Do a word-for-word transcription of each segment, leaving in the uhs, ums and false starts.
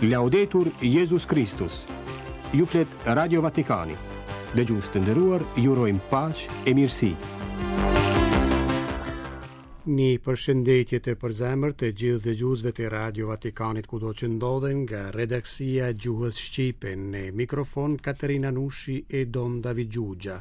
Laudetur Jezus Kristus. Ju flet Radio Vatikani. Dëgjues të nderuar, ju urojmë paqe e mirësi. Një përshëndetje të përzemërt të gjithë dëgjuesve të Radio Vatikanit kudo që ndodhen nga redaksia e gjuhës shqipe në mikrofon Katerina Nushi e Don David Gjugja.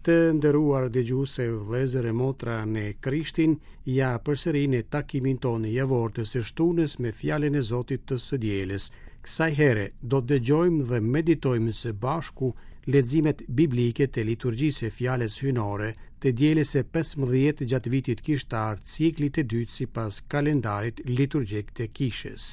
Të nderuar dëgjues e vëllezër e motra në Krishtin, ja përsëri në takimin tonë javor të së shtunës me fjalën e Zotit të së dielës. Kësaj here do të dëgjojmë dhe meditojmë së bashku leximet biblike të liturgjisë së fjalës hyjnore të dielës së pesëmbëdhjetë gjatë vitit kishtar, ciklit të dytë sipas kalendarit liturgjik të kishës.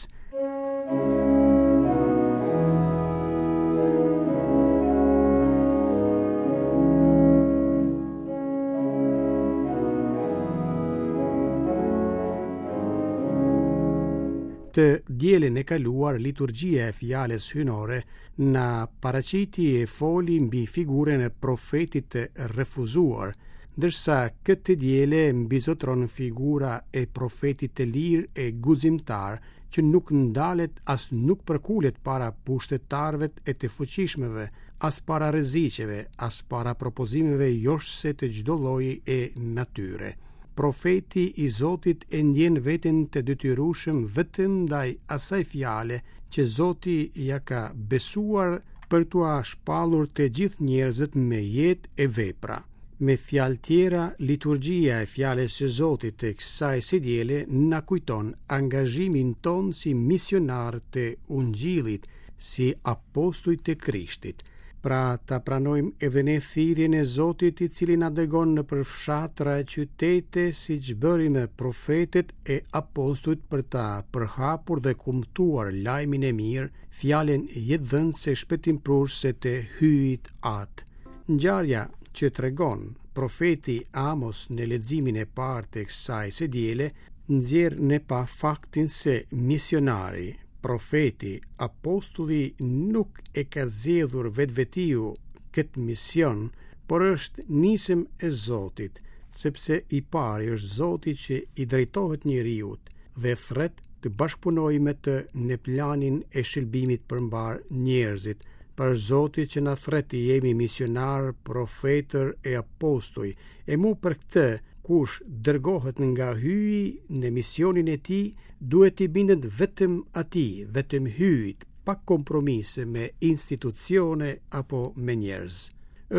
Të dielën e kaluar, liturgjia e fjalës hyjnore na paraqiti e foli mbi figurën e profetit të refuzuar, ndërsa këtë diele mbizotron figura e profetit të lirë e guximtar që nuk ndalet as nuk përkulet para pushtetarëve e të fuqishmëve, as para rreziqeve, as para propozimeve joshëse të çdo lloji e natyre. Profeti i Zotit e ndjen veten të detyrueshëm vetëm ndaj asaj fjale që Zoti ja ka besuar për t'ua shpallur të gjithë njerëzit me jetë e vepra. Me fjalë tjera, liturgjia e fjalës së Zotit të kësaj së diele na kujton angazhimin tonë si misionar të Ungjillit, si apostuj të Krishtit. Pra ta pranojmë edhe ne thirrjen e Zotit i cili na dërgon nëpër fshatra e qytete siç bëri me profetët e apostujt për ta përhapur dhe kumtuar lajmin e mirë, fjalën jetëdhënëse shpëtimprurëse të Hyjit Atë. Ngjarja që tregon profeti Amos në leximin e parë të kësaj së diele nxjerr në pah faktin se misionari, profeti, apostulli nuk e ka zgjedhur vetvetiu këtë mision, por është nisëm e Zotit, sepse i pari është Zoti që i drejtohet njeriut dhe thërret të bashkëpunojë me të në planin e shëlbimit për mbarë njerëzit, për Zoti që na thërret të jemi misionar, profetër e apostuj, e mu për këtë kush dërgohet nga Hyji në misionin e tij, duhet t'i bindet vetëm atij, vetëm Hyjit, pa kompromise me institucione apo me njerëz.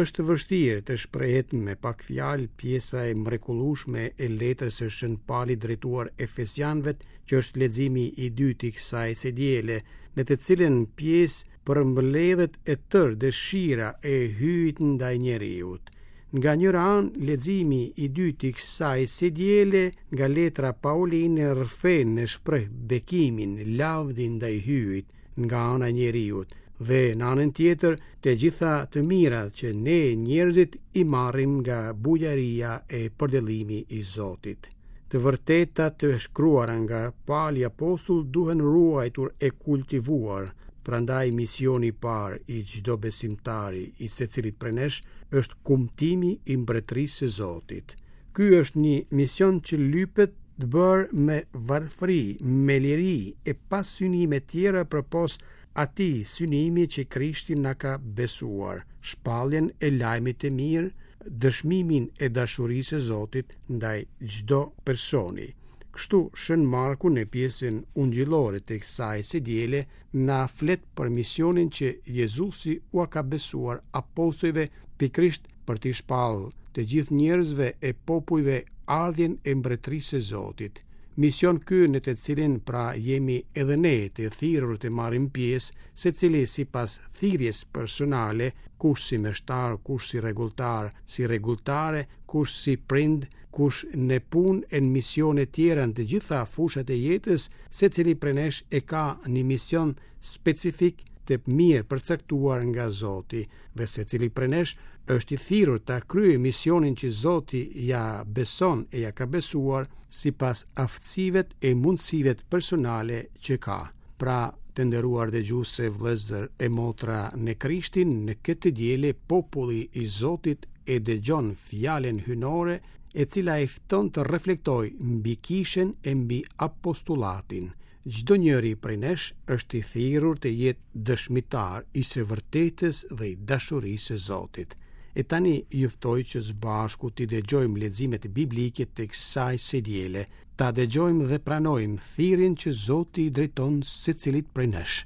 Është vështirë të shprehet me pak fjalë pjesa e mrekullueshme e letrës së Shën Palit drejtuar Efesianëve, që është leximi i dytë i kësaj së diele, në të cilën pjesë përmbledhet e tërë dëshira e Hyjit ndaj njeriut. Nga njëra anë, leximi i dytë i kësaj së diele nga letra Pauline rrëfen e shpreh bekimin, lavdin ndaj Hyjit nga ana e njeriut, dhe në anën tjetër të gjitha të mirat që ne njerëzit i marrim nga bujaria e përdëllimi i Zotit. Të vërteta të shkruara nga Pali apostull duhen ruajtur e kultivuar, prandaj misioni i parë i çdo besimtari, i secilit prej nesh, është kumtimi i mbretërisë së Zotit. Ky është një mision që lypet të bërë me varfëri, me liri e pa synime tjera përpos atij synimi që Krishti na ka besuar, shpalljen e lajmit të mirë, dëshmimin e dashurisë së Zotit ndaj çdo personi. Kështu, Shën Marku në pjesën ungjillore të kësaj së diele na flet për misionin që Jezusi ua ka besuar apostujve pikërisht për t'i shpallë të gjithë njerëzve e popujve ardhjen e mbretërisë së Zotit. Mision ky në të cilin pra jemi edhe ne të thirrur të marrim pjesë, secili sipas thirrjes personale, kush si meshtar, kush si rregulltar, si rregulltare, kush si prind, kush në punë e në misione tjera në të gjitha fushat e jetës, secili prej nesh e ka një mision specifik të mirë përcaktuar nga Zoti, dhe secili prej nesh është i thirrur ta kryejë misionin që Zoti ja beson e ja ka besuar sipas aftësive e mundësive personale që ka. Pra, të nderuar dëgjues, vëllezër e motra në Krishtin, në këtë diele populli i Zotit e dëgjon fjalën hyjnore e cila e fton të reflektojë mbi kishën e mbi apostullatin. Çdo njeri prej nesh është i thirrur të jetë dëshmitar i së vërtetës dhe i dashurisë së Zotit. E tani ju ftoj që së bashku t'i dëgjojmë leximet biblike të kësaj së diele, ta dëgjojmë dhe pranojmë thirrjen që Zoti i drejton secilit prej nesh.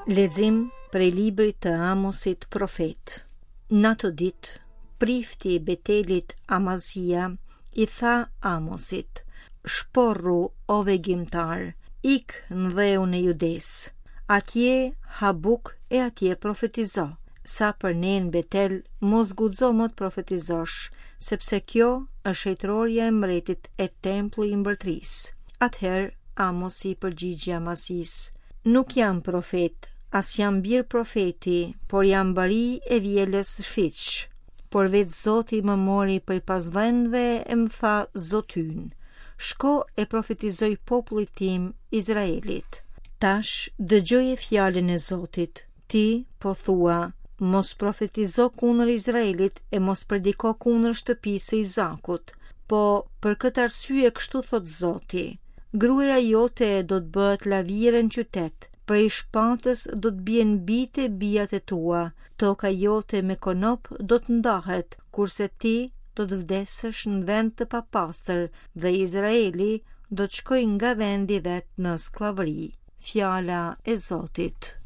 Lexim prej librit të Amosit profet. Në atë ditë, prifti i Betelit Amazia i tha Amosit: Shporru, o vegimtar, ik në dheun e Judes. Atje ha buk e atje profetizo. Sa për ne në Betel, mos guxo më të profetizosh, sepse kjo është shejtërorja e mbretit e tempulli i mbretërisë. Atëherë Amosi i përgjigji Amazisë: Nuk jam profet, as jam bir profeti, por jam bari e vjelës fiq. Por vetë Zoti më mori prej pasdhenëve e më tha Zotyn: Shko e profetizoj popullit tim Izraelit. Tash dëgjoje fjalën e Zotit. Ti po thua: Mos profetizo kundër Izraelit e mos prediko kundër shtëpisë së Izakut. Po për këtë arsye kështu thot Zoti: Gruaja jote do të bëhet lavire në qytet, prej shpatës do të bien bite bijat e tua, toka jote me konop do të ndahet, kurse ti do të vdesësh në vend të papastër dhe Izraeli do të shkojë nga vendi vet në skllavëri. Fjala e Zotit.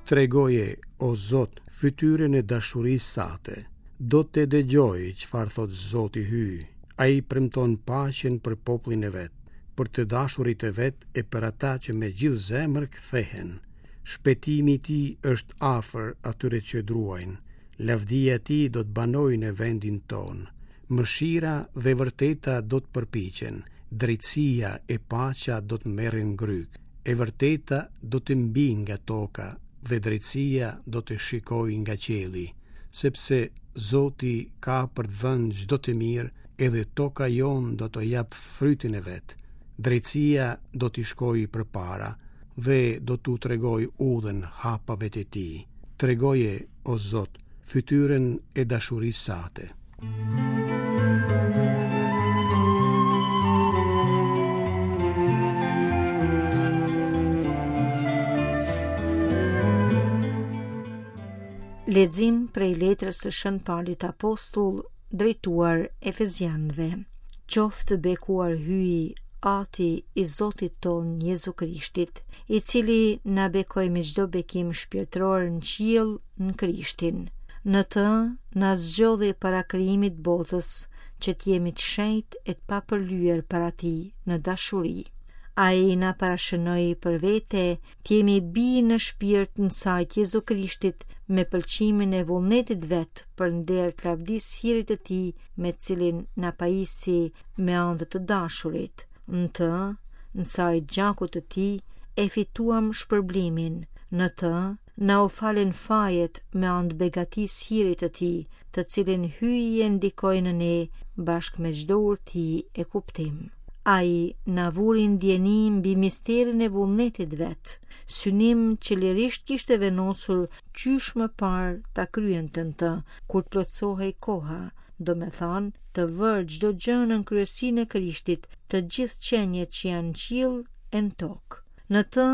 Tregoje, o Zot, fytyrën e dashurisë sate. Do të dëgjoj çfarë thot Zoti Hyj. Ai premton paqen për popullin e vet, për të dashurit e vet e për ata që me gjithë zemër kthehen. Shpëtimi i tij është afër atyre që druajnë. Lavdia e tij do të banojë në vendin tonë. Mëshira dhe vërteta do të përpiqen. Drejtësia e paqja do të merren gryk. E vërteta do të mbijë nga toka dhe drejtësia do të shikojë nga qielli, sepse Zoti ka për të dhënë çdo të mirë, edhe toka jonë do të jap frytin e vet. Drejtësia do t'i shkojë përpara dhe do t'u tregojë udhën hapave të tij. Tregoje, o Zot, fytyrën e dashurisë sate. Lexim prej letrës së Shën Palit Apostull drejtuar Efezianëve. Qoftë bekuar Hyji, Ati i Zotit ton Jezu Krishtit, i cili na bekoi me çdo bekim shpirtëror në qiell në Krishtin. Në të na zgjodhi para krijimit botës, që të jemi të shenjtë e të papërlyer para tij në dashuri. Ai na parashënoi për vete të jemi bi në shpirt në saj të Jezu Krishtit me pëlqimin e vullnetit vet për nder të lavdisë hirit të tij me cilin na pajisi me anë të të dashurit. Në të, në saj gjakut të tij, e fituam shpërblimin. Në të, na u falen fajet me anë të begatisë hirit të tij, të cilin Hyji e ndikoi në ne bashkë me çdo urti e kuptim. Ai na vuri ndjeni mbi misterin e vullnetit vet, synim që lirisht kishte vendosur qysh më parë ta kryente në të, kur të plotësohej koha, do me thanë, të vërë çdo gjë në kryesinë e Krishtit, të gjithë qeniet që janë në qiell e në tokë. Në të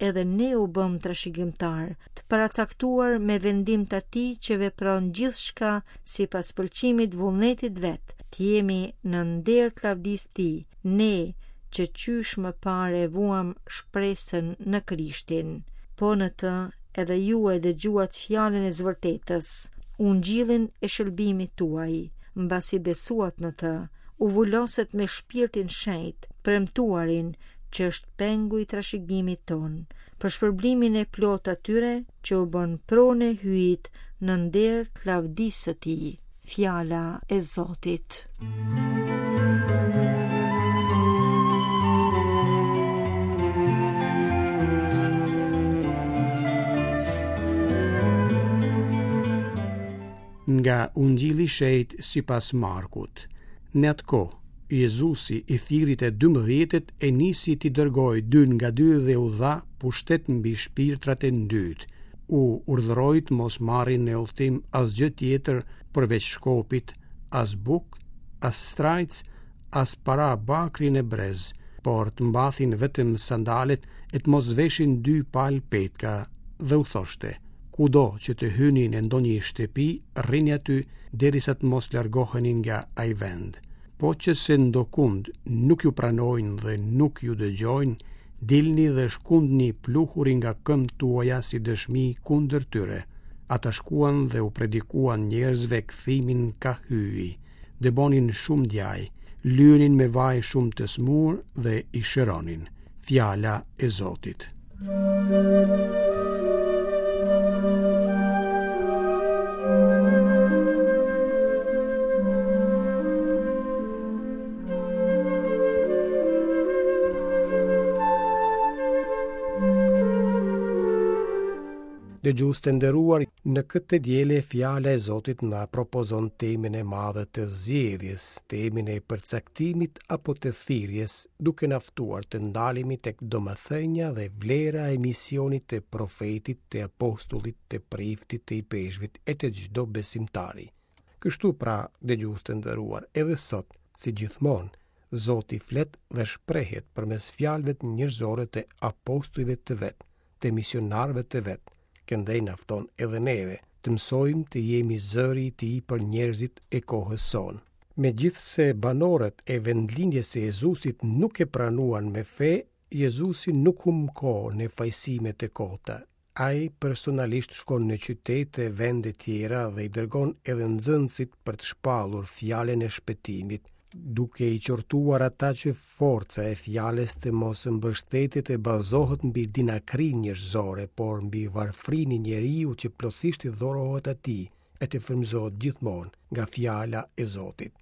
edhe ne u bëm trashëgimtar, të paracaktuar me vendim të atij që vepron gjithçka sipas pëlqimit vullnetit vet, të jemi në nder të lavdisë tij, ne që qysh më parë e vuam shpresën në Krishtin. Po në të edhe ju e dëgjuat fjalën e zvërtetës, ungjillin e shëlbimit tuaj, mbasi besuat në të, u vuloset me shpirtin shenjt, premtuarin që është pengu i trashëgimit ton, për shpërblimin e plot atyre që u bën pronë e Hyjit në nder të lavdisë së tij. Fjala e Zotit. Nga Ungjilli i Shenjtë sipas Markut. Në atë kohë, Jezusi i thirri të dymbëdhjetët e nisi t'i dërgojë dy nga dy dhe u dha pushtet mbi shpirtrat e ndytë. U urdhëroi të mos marrin në udhëtim asgjë tjetër përveç shkopit, as bukë, as strajcë, as para bakri në brez, por të mbathin vetëm sandalet e të mos veshin dy palë petka, dhe u thoshte: kudo që të hyni në ndonjë shtëpi, rrini aty derisa të mos largoheni nga ai vend. Po që se ndokund nuk ju pranojnë dhe nuk ju dëgjojnë, dilni dhe shkundni pluhurin nga këmbët tuaja si dëshmi kundër tyre. Ata shkuan dhe u predikuan njerëzve kthimin ka Hyji. Dëbonin shumë djaj, lyenin me vaj shumë të smur dhe i shëronin. Fjala e Zotit. Dëgjues të nderuar, në këtë të diele fjala e Zotit na propozon temën e madhe të zgjedhjes, temën e përcaktimit apo të thirrjes, duke na ftuar të ndalemi tek domethënia dhe vlera e misionit të profetit, të apostullit, të priftit, të ipeshkvit e të çdo besimtari. Kështu pra, dëgjues të nderuar, edhe sot, si gjithmonë, Zoti flet dhe shprehet përmes fjalëve njerëzore të apostujve të vet, të misionarëve të vet. Këndej na fton edhe neve të mësojmë të jemi zëri i tij për njerëzit e kohës sonë. Megjithëse banorët e vendlindjes së Jezusit nuk e pranuan me fe, Jezusi nuk humb kohë në fajësime të kota. Ai personalisht shkon në qytete e vende tjera dhe i dërgon edhe nxënësit për të shpallur fjalën e shpëtimit, duke i qortuar ata që forca e fjalës të mos mbështetet e bazohet mbi dinakrinë njerëzore, por mbi varfrinë e njeriu që plotësisht i dhorohet atij e të frymëzohet gjithmonë nga fjala e Zotit.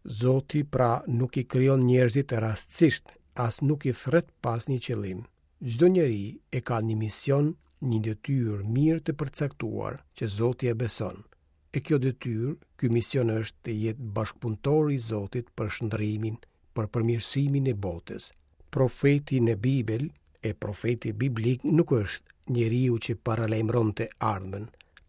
Zoti pra nuk i krijon njerëzit rastësisht, as nuk i thret pas një qëllim. Çdo njeri e ka një mision, një detyrë mirë të përcaktuar që Zoti e beson. E kjo detyrë, ky mision është të jetë bashkëpunëtor i Zotit për shndrimin, për përmirësimin e botës. Profeti në Bibël e profeti biblik nuk është njeriu që paralajmëron të ardhmen,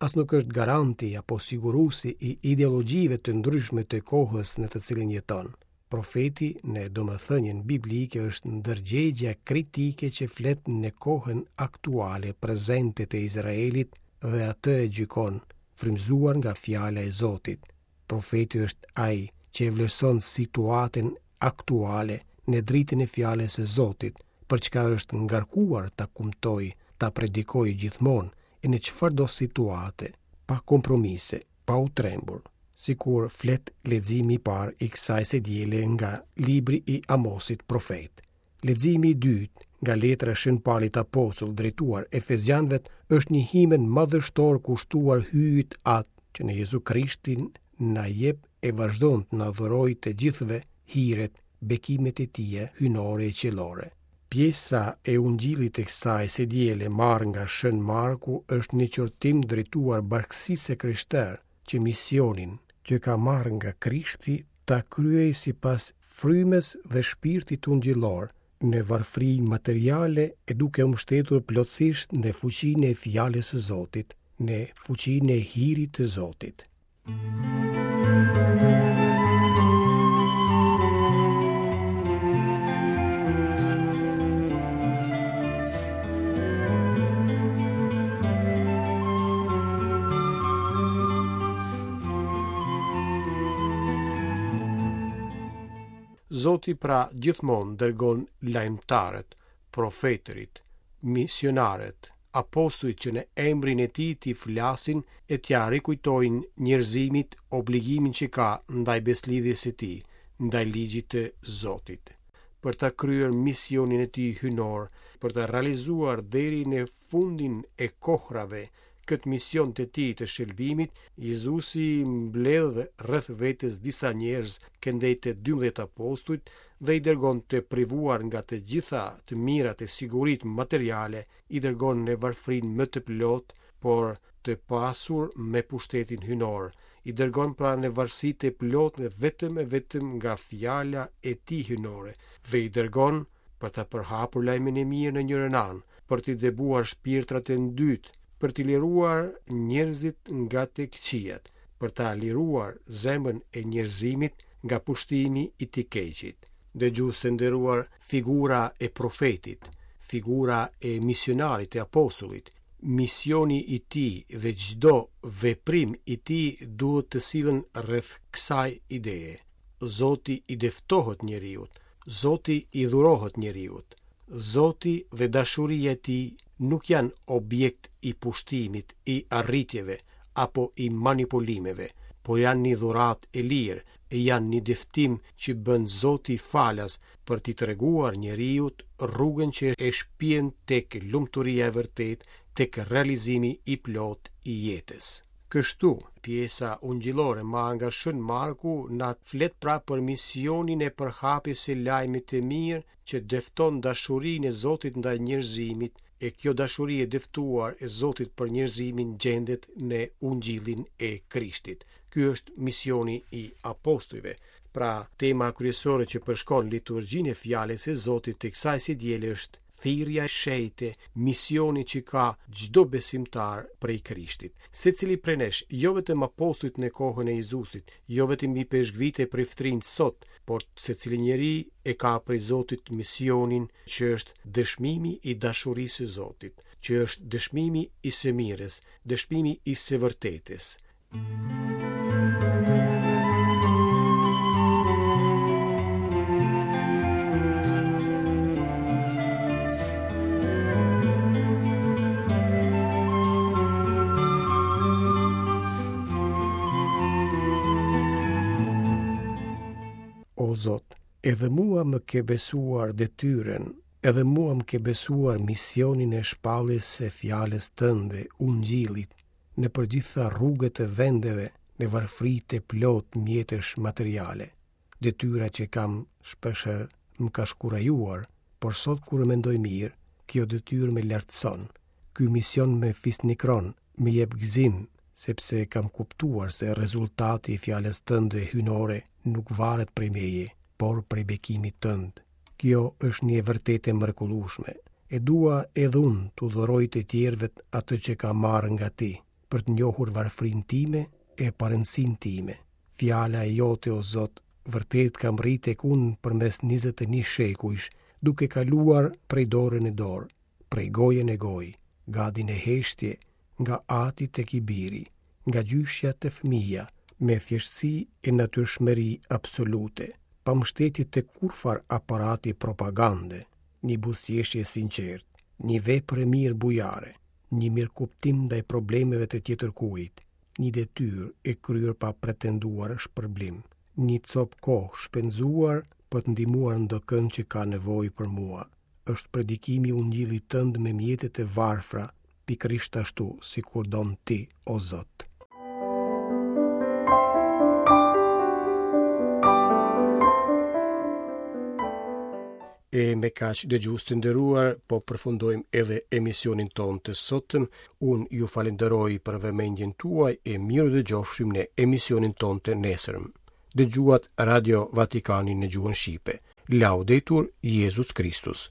as nuk është garanti apo siguruesi i ideologjive të ndryshme të kohës në të cilën jeton. Profeti në domethënien biblike është ndërgjegja kritike që flet në kohën aktuale prezente të Izraelit dhe atë e gjykon, frymëzuar nga fjala e Zotit. Profeti është ai që e vlerëson situatën aktuale në dritën e fjalës së Zotit, për çka është ngarkuar ta kumtojë, ta predikojë gjithmonë e në çfarëdo situate, pa kompromise, pa u trembur, sikur flet leximi i parë i kësaj së diele nga libri i Amosit profet. Leximi i dytë nga letra e Shën Palit Apostull drejtuar Efezianëve është një himen madhështor kushtuar Hyjit Atë që në Jezu Krishtin na jep e vazhdon të na dhurojë të gjithëve hiret, bekimet e tija hyjnore e qiellore. Pjesa e Ungjillit të kësaj së diele marrë nga Shën Marku është një qortim drejtuar bashkësisë së krishterë që misionin që ka marrë nga Krishti ta kryejë sipas frymës dhe shpirtit ungjillor, në varfëri materiale e duke u mbështetur plotësisht në fuqinë e fjalës së Zotit, në fuqinë e hirit të Zotit. Zoti pra gjithmonë dërgon lajmëtarët, profetërit, misionarët, apostujt që në emrin e tij t'i flasin e t'ia rikujtojnë njerëzimit obligimin që ka ndaj beslidhjes së tij, ndaj ligjit të Zotit. Për ta kryer misionin e tij hyjnor, për ta realizuar deri në fundin e kohrave këtë mision të tij të shëlbimit, Jezusi mbledh rreth vetes disa njerëz këndej të dymbëdhjetë apostujt dhe i dërgon të privuar nga të gjitha të mirat e siguritë materiale, i dërgon në varfërinë më të plotë, por të pasur me pushtetin hyjnor, I dërgon pra në varësi të plotë vetëm e vetëm nga fjala e tij hyjnore dhe i dërgon për ta përhapur lajmin e mirë në njërën anë, për t'i dëbuar shpirtrat e ndytë, për t'i liruar njerëzit nga të këqijat, për ta liruar zemrën e njerëzimit nga pushtimi i të keqit. Dëgjues të nderuar, figura e profetit, figura e misionarit e apostullit, misioni i tij dhe çdo veprim i tij duhet të sillen rreth kësaj ideje. Zoti i dëftohet njeriut, Zoti i dhurohet njeriut. Zoti dhe dashuria e tij nuk janë objekt i pushtimit, i arritjeve apo i manipulimeve, por janë një dhuratë e lirë, e janë një dëftim që bën Zoti falas për t'i treguar njeriut rrugën që e shpien tek lumturia e vërtetë, tek realizimi i plotë i jetës. Kështu, pjesa ungjillore marrë nga Shën Marku na flet pra për misionin e përhapjes së lajmit të mirë që dëfton dashurinë e Zotit ndaj njerëzimit, e kjo dashuri e dëftuar e Zotit për njerëzimin gjendet në Ungjillin e Krishtit. Ky është misioni i apostujve. Pra, tema kryesore që përshkon liturgjinë e fjalës së Zotit të kësaj së diele është thirrja e shenjtë, misioni që ka çdo besimtar prej Krishtit. Secili prej nesh, jo vetëm apostujt në kohën e Jezusit, jo vetëm ipeshkvijtë e priftërinjtë sot, por secili njeri e ka prej Zotit misionin që është dëshmimi i dashurisë së Zotit, që është dëshmimi i së mirës, dëshmimi i së vërtetës. O Zot, edhe mua më ke besuar detyrën, edhe mua më ke besuar misionin e shpalljes së fjalës tënde, Ungjillit, nëpër gjitha rrugët e vendeve, në varfëri të plot mjetesh materiale. Detyra që kam shpeshherë më ka shkurajuar, por sot kur e mendoj mirë, kjo detyrë më lartëson. Ky mision më fisnikron, më jep gëzim, sepse kam kuptuar se rezultati i fjalës tënde hyjnore nuk varet prej meje, por prej bekimit tënd. Kjo është një e vërtetë e mrekullueshme. E dua edhe unë t'u dhuroj të tjerëve atë që kam marrë nga ti, për të njohur varfërinë time e parëndësinë time. Fjala e jote, o Zot, vërtet ka mbërritur tek unë përmes njëzet e një shekujsh, duke kaluar prej dore në dorë, prej goje në gojë, gati në heshtje, nga ati tek i biri, nga gjyshja te fëmija, me thjeshtësi e natyrshmëri absolute, pa mbështetje të kurrfar aparati propagande, një buzëqeshje e sinqertë, një vepër e mirë bujare, një mirëkuptim ndaj problemeve të tjetërkujt, një detyrë e kryer pa pretenduar shpërblim, një copë kohë shpenzuar për të ndihmuar ndokënd që ka nevojë për mua. Është predikimi i Ungjillit tënd me mjetet e varfra, pikërisht ashtu sikur don ti, o Zot. E me kaq, dëgjues të nderuar, po përfundojmë edhe emisionin tonë të sotëm. Unë ju falenderoj për vëmendjen tuaj e mirë dëgjofshim në emisionin tonë të nesërm. Dëgjuat Radio Vatikanin në gjuhën shqipe. Laudetur Jezus Kristus.